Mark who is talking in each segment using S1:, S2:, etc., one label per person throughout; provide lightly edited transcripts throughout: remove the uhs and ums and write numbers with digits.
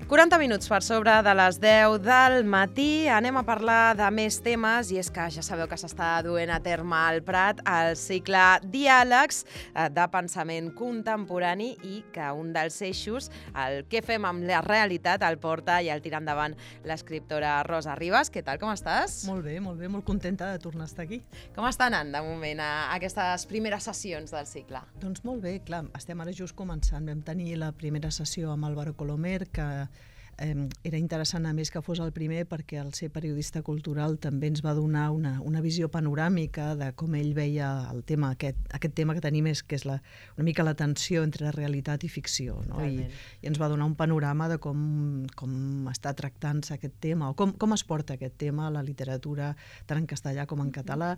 S1: 40 minuts per sobre de les 10 del matí. Anem a parlar de més temes i és que ja sabeu que s'està duent a terme al Prat el cicle Diàlegs de pensament contemporani i que un dels eixos, el què fem amb la realitat, el porta i el tira endavant l'escriptora Rosa Ribas. Què tal, com estàs?
S2: Molt bé, molt contenta de tornar a estar aquí.
S1: Com està anant de moment aquestes primeres sessions del cicle?
S2: Doncs molt bé, clar, estem ara just començant. Vam tenir la primera sessió amb Álvaro Colomer, que era interessant a més que fos el primer perquè el ser periodista cultural també ens va donar una visió panoràmica de com ell veia el tema, aquest tema que tenim que és una mica la tensió entre realitat i ficció, no? I ens va donar un panorama de com està tractant-se aquest tema o com es porta aquest tema a la literatura tant en castellà com en català.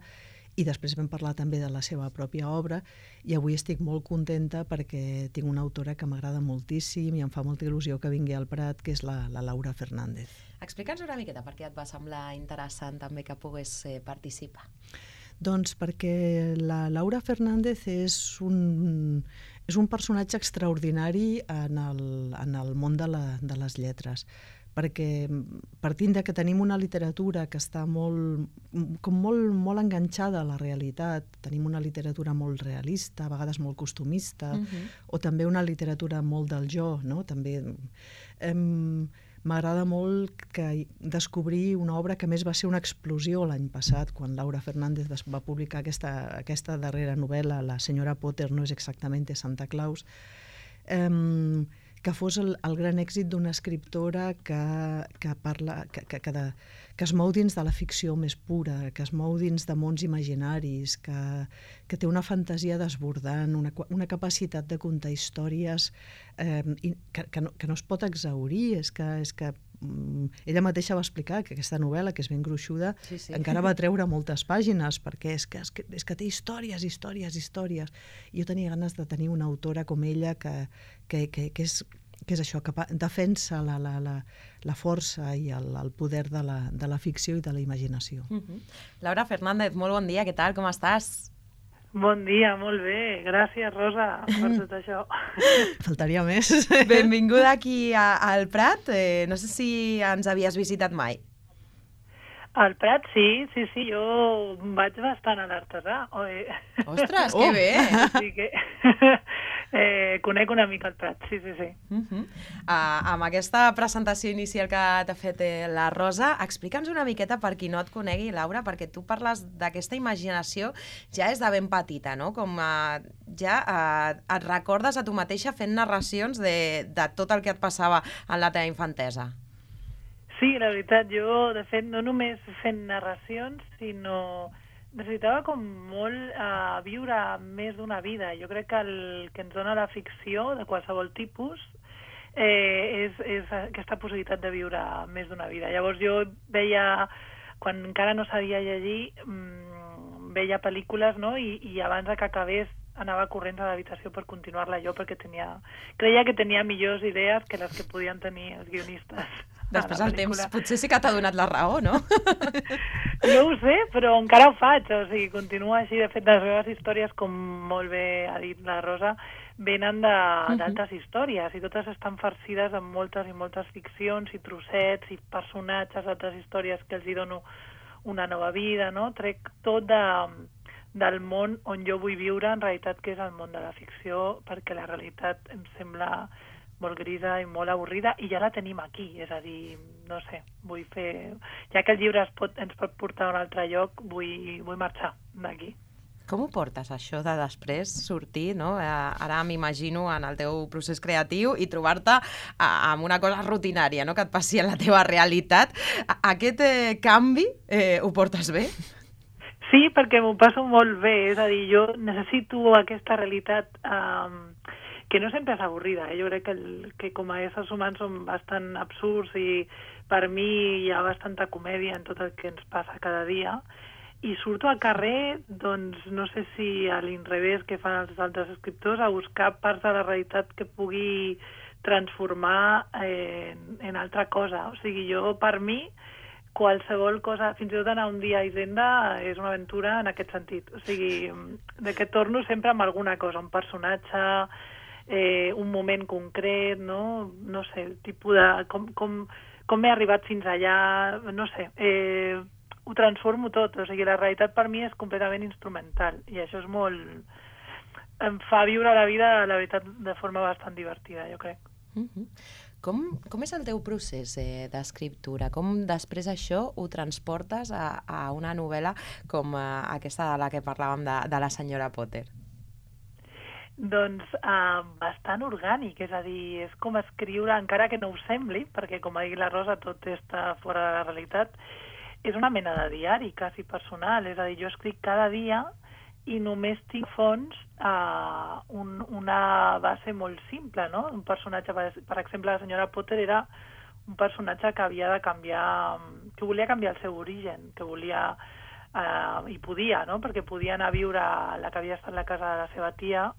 S2: I després vam parlar també de la seva pròpia obra i avui estic molt contenta perquè tinc una autora que m'agrada moltíssim i em fa molta il·lusió que vingui al Prat, que és la Laura Fernández.
S1: Explica'ns una miqueta per què et va semblar interessant també que pogués participar.
S2: Doncs perquè la Laura Fernández és un personatge extraordinari en el món de les lletres, perquè partint de que tenim una literatura que està molt enganxada a la realitat, tenim una literatura molt realista, a vegades molt costumista, o també una literatura molt del jo, no? També m'agrada molt descobrir una obra que més va ser una explosió l'any passat, quan Laura Fernández va publicar aquesta darrera novel·la, La senyora Potter no és exactamente Santa Claus, que fos el gran èxit d'una escriptora que es mou dins de la ficció més pura, que es mou dins de mons imaginaris, que té una fantasia desbordant, una capacitat de contar històries que no es pot exhaurir. És que ella mateixa va explicar que aquesta novel·la, que és ben gruixuda, encara va treure moltes pàgines, perquè és que té històries. I jo tenia ganes de tenir una autora com ella que és això, que defensa la força i el poder de la ficció i de la imaginació.
S1: Laura Fernández, molt bon dia, què tal, com estàs?
S3: Bon dia, molt bé. Gràcies, Rosa, per tot això.
S2: Faltaria més.
S1: Benvinguda aquí al Prat. No sé si ens havies visitat mai.
S3: Al Prat, sí, jo vaig bastant a l'Artesà.
S1: Ostres, que bé!
S3: Sí que conec una mica el Prat, sí.
S1: Amb aquesta presentació inicial que t'ha fet la Rosa, explica'ns una miqueta per qui no et conegui, Laura, perquè tu parles d'aquesta imaginació ja és de ben petita, no? Com ja et recordes a tu mateixa fent narracions de tot el que et passava en la teva infantesa.
S3: Sí, la veritat, jo, de fet, no només fent narracions, sinó necessitava com molt viure més d'una vida. Jo crec que el que ens dona la ficció de qualsevol tipus és aquesta possibilitat de viure més d'una vida. Llavors jo veia, quan encara no sabia llegir, veia pel·lícules, no? I abans que acabés anava corrents a l'habitació per continuar-la jo, perquè creia que tenia millors idees que les que podien tenir els guionistes.
S1: Després el temps potser sí que t'ha donat la raó, no?
S3: No ho sé, però encara ho faig, o sigui, continua així. De fet, les meves històries, com molt bé ha dit la Rosa, venen d'altres històries, i totes estan farcides amb moltes i moltes ficcions i trossets i personatges d'altres històries que els hi dono una nova vida, no? Trec tot del món on jo vull viure, en realitat, que és el món de la ficció, perquè la realitat em sembla molt grisa i molt avorrida, i ja la tenim aquí, és a dir, no sé, vull fer... Ja que el llibre ens pot portar a un altre lloc, vull marxar d'aquí.
S1: Com ho portes, això de després sortir, no? Ara m'imagino en el teu procés creatiu i trobar-te amb una cosa rutinària, no? Que et passi en la teva realitat. Aquest canvi ho portes bé?
S3: Sí, perquè m'ho passo molt bé, és a dir, jo necessito aquesta realitat que no sempre és avorrida. Jo crec que com a éssers humans som bastant absurds i per mi hi ha bastanta comèdia en tot el que ens passa cada dia. I surto al carrer, doncs no sé si a l'inrevés que fan els altres escriptors, a buscar parts de la realitat que pugui transformar en altra cosa. O sigui, jo per mi qualsevol cosa, fins i tot anar un dia a Hisenda és una aventura en aquest sentit. O sigui, de que torno sempre amb alguna cosa, un personatge, un moment concret, no sé, el tipus de... com he arribat fins allà, no sé, ho transformo tot, o sigui, la realitat per mi és completament instrumental, i això és molt... em fa viure la vida, la veritat, de forma bastant divertida, jo crec.
S1: Com és el teu procés d'escriptura? Com després això ho transportes a una novel·la com aquesta de la que parlàvem de la senyora Potter?
S3: Doncs bastant orgànic, és a dir, és com escriure, encara que no ho sembli, perquè com ha dit la Rosa tot està fora de la realitat, és una mena de diari quasi personal, és a dir, jo escric cada dia i només tinc fons una base molt simple, no? Un personatge, per exemple, la senyora Potter era un personatge que havia de canviar, que volia canviar el seu origen, que volia, i podia, no? Perquè podia anar a viure la que havia estat la casa de la seva tia,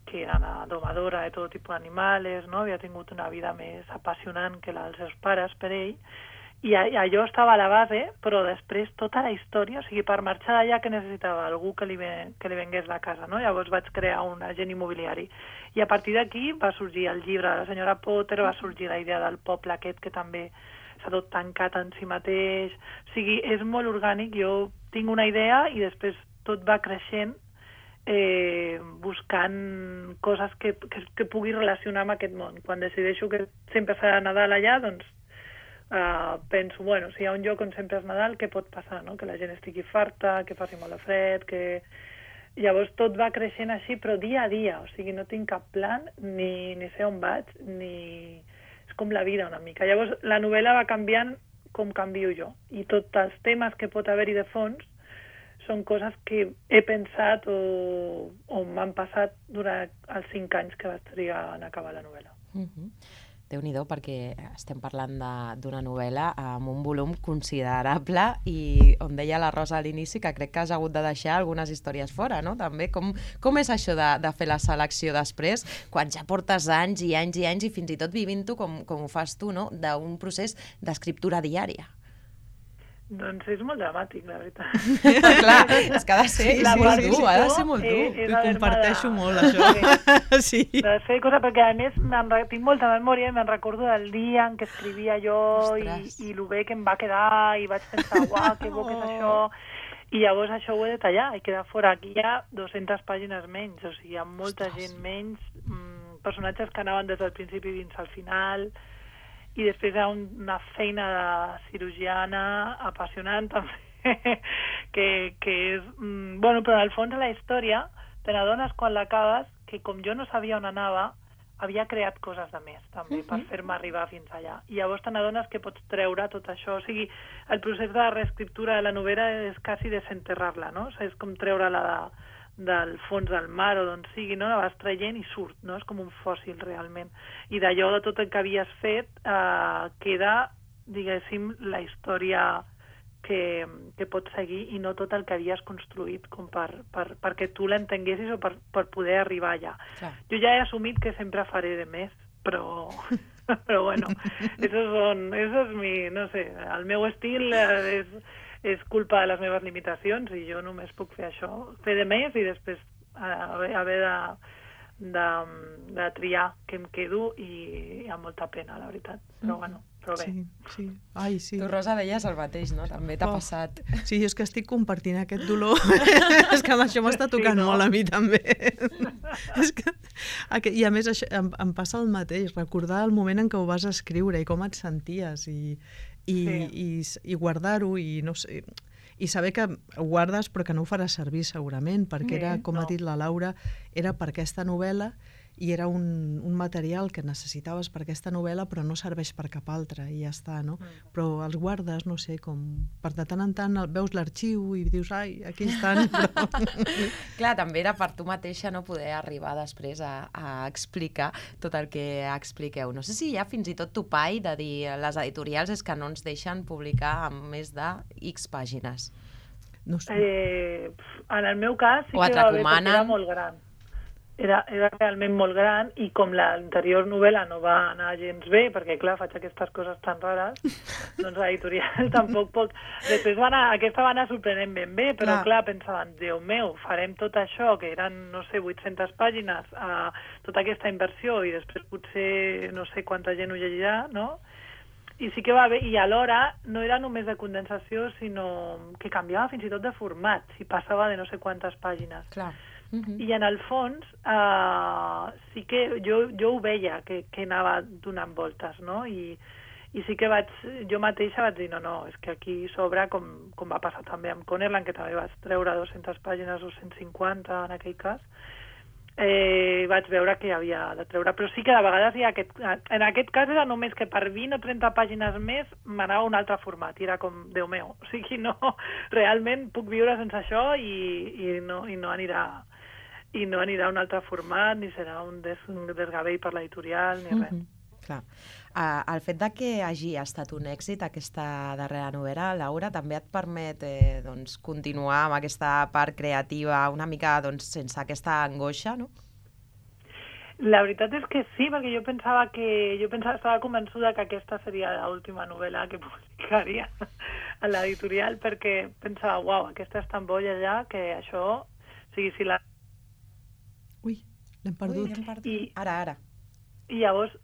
S3: que era una domadora de tot tipus d'animals, no? Havia tingut una vida més apassionant que la dels seus pares per ell, i allò estava a la base, però després tota la història, o sigui, per marxar d'allà que necessitava algú que li vengués la casa, no? Llavors vaig crear un agent immobiliari. I a partir d'aquí va sorgir el llibre de la senyora Potter, va sorgir la idea del poble aquest que també s'ha tot tancat en si mateix. O sigui, és molt orgànic, jo tinc una idea i després tot va creixent buscant coses que pugui relacionar amb aquest món. Quan decideixo que sempre serà Nadal allà, doncs penso, bueno, si hi ha un lloc on sempre és Nadal, què pot passar, no? Que la gent estigui farta, que faci molt de fred, que... Llavors tot va creixent així, però dia a dia, o sigui, no tinc cap plan, ni sé on vaig, ni... És com la vida una mica. Llavors la novel·la va canviant com canvio jo, i tots els temes que pot haver-hi de fons són coses que he pensat o m'han passat durant els 5 anys que vaig trigar en acabar la novel·la.
S1: Déu-n'hi-do, perquè estem parlant d'una novel·la amb un volum considerable i on deia la Rosa a l'inici que crec que has hagut de deixar algunes històries fora, no? També, com és això de fer la selecció després, quan ja portes anys i anys i anys i fins i tot vivint-ho com ho fas tu, no? D'un procés d'escriptura diària.
S3: Doncs és molt dramàtic, la veritat.
S1: Clar, és que ha de ser molt dur, ha de ser molt dur.
S2: Ho comparteixo molt, això. Sí.
S3: De fer coses, perquè a més tinc molta memòria i me'n recordo del dia en què escrivia jo i el bé que em va quedar i vaig pensar, uau, que bo que és això. I llavors això ho he de tallar i quedar fora. Aquí hi ha 200 pàgines menys, o sigui, hi ha molta gent menys, personatges que anaven des del principi fins al final... I després hi ha una feina de cirurgiana apassionant també, que és... Bueno, però en el fons de la història te n'adones quan l'acabes que com jo no sabia on anava, havia creat coses de més també per fer-me arribar fins allà. I llavors te n'adones que pots treure tot això. O sigui, el procés de reescriptura de la novel·la és quasi desenterrar-la, no? O sigui, és com treure-la del fons del mar o d'on sigui, no? La vas traient i surt, no? És com un fòssil realment. I d'allò de tot el que havies fet queda, diguéssim, la història que pots seguir i no tot el que havies construït com perquè tu l'entenguessis o per poder arribar allà. Clar. Jo ja he assumit que sempre faré de més, però bueno, eso es mi, no sé, el meu estil és culpa de les meves limitacions i jo només puc fer això, fer de més i després haver de triar què em quedo i amb molta pena, la veritat. Però bueno, però bé.
S2: Sí. Ai, sí.
S1: Tu, Rosa, deies el mateix, no? També t'ha passat.
S2: Sí, és que estic compartint aquest dolor. És que això m'està tocant molt a mi també. I a més em passa el mateix, recordar el moment en què ho vas escriure i com et senties i guardar-ho i no sé, i saber que ho guardes però que no ho faràs servir segurament perquè era, com ha dit la Laura, era per aquesta novel·la i era un material que necessitaves per aquesta novel·la però no serveix per cap altra i ja està, no? Però els guardes, no sé, com per de tant en tant veus l'arxiu i dius, ai, aquí estan, però...
S1: Clar, també era per tu mateixa no poder arribar després a explicar tot el que expliqueu. No sé si hi ha fins i tot topall de dir les editorials és que no ens deixen publicar amb més de X pàgines.
S2: No sé.
S3: En el meu cas sí que va haver perquè era molt gran. era realment molt gran, i com l'anterior novel·la no va anar gens bé, perquè clar, faig aquestes coses tan rares, doncs l'editorial tampoc pot... Després aquesta va anar sorprenent ben bé, però clar, pensaven, Déu meu, farem tot això, que eren, no sé, 800 pàgines, tota aquesta inversió, i després potser no sé quanta gent ho llegirà, no? I sí que va bé, i alhora no era només de condensació, sinó que canviava fins i tot de format, si passava de no sé quantes pàgines.
S1: Clar.
S3: I en el fons sí que jo ho veia, que anava donant voltes, no? I sí que jo mateixa vaig dir, no, és que aquí s'obre, com va passar també amb Connerland, que també vaig treure 200 pàgines o 150 en aquell cas, vaig veure que havia de treure, però sí que de vegades en aquest cas era només que per 20 o 30 pàgines més m'anava un altre format, i era com, Déu meu, o sigui, no, realment puc viure sense això i no anirà un altre format, ni serà un desgavell per l'editorial, ni res.
S1: Clar. El fet de que hagi estat un èxit aquesta darrera novel·la, Laura, també et permet continuar amb aquesta part creativa una mica sense aquesta angoixa, no?
S3: La veritat és que sí, perquè jo estava convençuda que aquesta seria l'última novel·la que publicaria a l'editorial, perquè pensava, uau, aquesta és tan bolla ja que això, o sigui, si la...
S2: Ui, l'hem perdut.
S1: Ara.
S3: I llavors,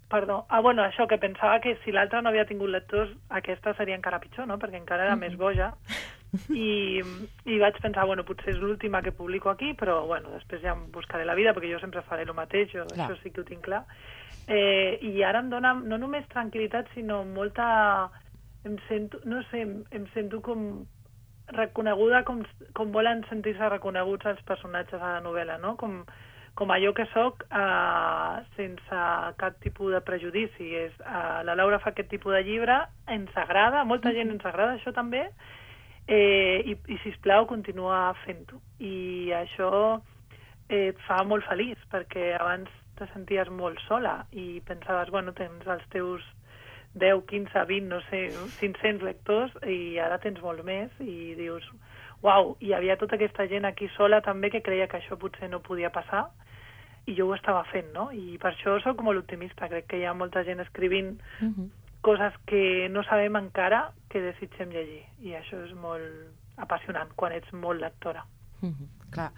S3: perdó, bueno, això, que pensava que si l'altra no havia tingut lectors, aquesta seria encara pitjor, no? Perquè encara era més boja. I vaig pensar, bueno, potser és l'última que publico aquí, però, bueno, després ja em buscaré la vida, perquè jo sempre faré el mateix, això sí que ho tinc clar. I ara em dona no només tranquil·litat, sinó molta... Em sento com reconeguda, com volen sentir-se reconeguts els personatges a la novel·la, no? Com allò que soc, sense cap tipus de prejudici. La Laura fa aquest tipus de llibre, ens agrada, molta gent ens agrada això també, i sisplau, continua fent-ho. I això et fa molt feliç, perquè abans te senties molt sola i pensaves, bueno, tens els teus 10, 15, 20, no sé, 500 lectors, i ara tens molt més, i dius, uau, hi havia tota aquesta gent aquí sola també que creia que això potser no podia passar, i jo ho estava fent, no? I per això soc molt optimista. Crec que hi ha molta gent escrivint coses que no sabem encara que desitgem llegir. I això és molt apassionant quan ets molt lectora.
S1: Clar,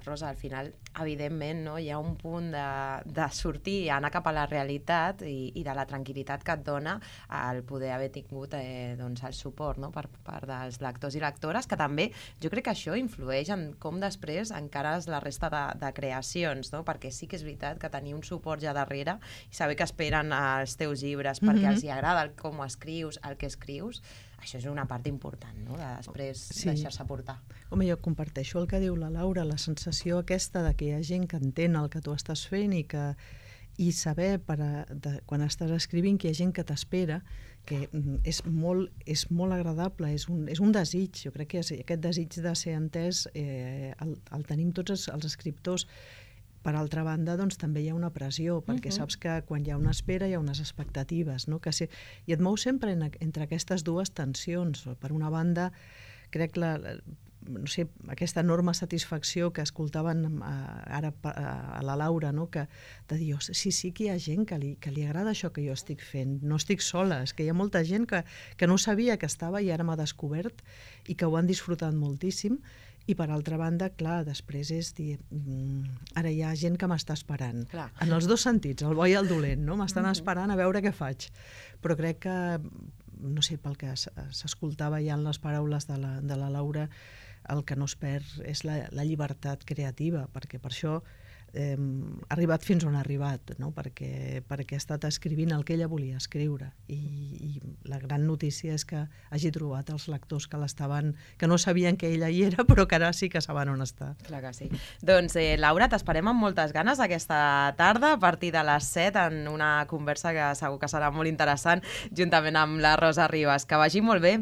S1: Rosa, al final, evidentment, no, hi ha un punt de sortir i anar cap a la realitat i de la tranquil·litat que et dona el poder haver tingut el suport, no, per part dels lectors i lectores, que també jo crec que això influeix en com després encares la resta de creacions, no? Perquè sí que és veritat que tenir un suport ja darrere i saber que esperen els teus llibres perquè els hi agrada com escrius, el que escrius, això és una part important, no?, de després deixar-se portar.
S2: Home, jo comparteixo el que diu la Laura, la sensació aquesta de que hi ha gent que entén el que tu estàs fent i saber quan estàs escrivint que hi ha gent que t'espera, que és molt agradable, és un desig. Jo crec que aquest desig de ser entès el tenim tots els escriptors. Per altra banda, doncs, també hi ha una pressió, perquè saps que quan hi ha una espera hi ha unes expectatives, no? I et mou sempre entre aquestes dues tensions. Per una banda, crec no sé, aquesta enorme satisfacció que escoltaven ara a la Laura, no? De dir, sí que hi ha gent que li agrada això que jo estic fent, no estic sola, és que hi ha molta gent que no sabia que estava i ara m'ha descobert i que ho han disfrutat moltíssim. I per altra banda, clar, després és dir, ara hi ha gent que m'està esperant. Clar. En els dos sentits, el bo i el dolent, no? M'estan esperant a veure què faig. Però crec que, no sé, pel que s'escoltava ja en les paraules de la Laura, el que no es perd és la llibertat creativa, perquè per això ha arribat fins on ha arribat, no? Perquè ha estat escrivint el que ella volia escriure, i la gran notícia és que hagi trobat els lectors que no sabien que ella hi era, però que ara sí que saben on està.
S1: Clar que sí. Doncs Laura, t'esperem amb moltes ganes aquesta tarda a partir de les 7 en una conversa que segur que serà molt interessant juntament amb la Rosa Ribas. Que vagi molt bé.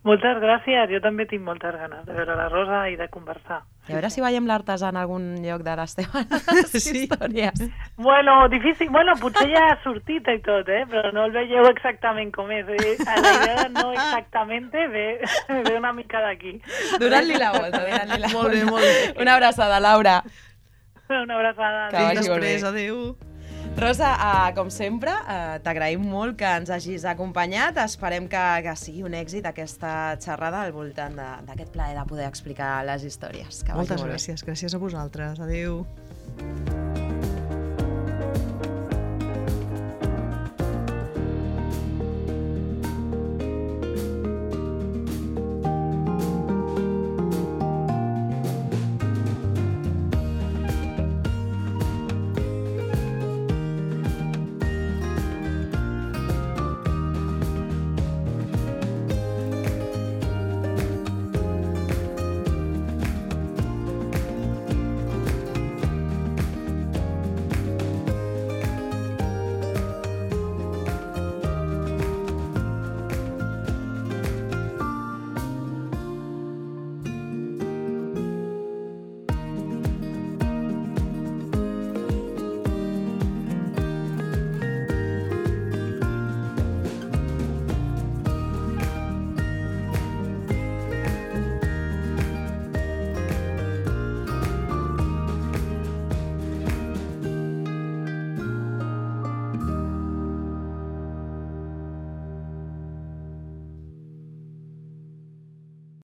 S3: Moltes gràcies, jo també tinc moltes ganes de veure la Rosa i de conversar.
S1: I a veure si veiem l'artesà en algun lloc de les teves històries.
S3: Bueno, difícil, potser ja ha sortit i tot, però no el veieu exactament com és. La idea de no exactament ve una mica d'aquí.
S1: Donant-li la volta.
S2: Molt bé.
S1: Una abraçada, Laura.
S3: Una abraçada.
S1: Que vagi molt
S2: Després,
S1: bé.
S2: adéu.
S1: Rosa, com sempre, t'agraïm molt que ens hagis acompanyat. Esperem que sigui un èxit aquesta xerrada al voltant d'aquest plaer de poder explicar les històries. Que vagi
S2: Moltes
S1: molt bé.
S2: gràcies. Gràcies a vosaltres. Adéu.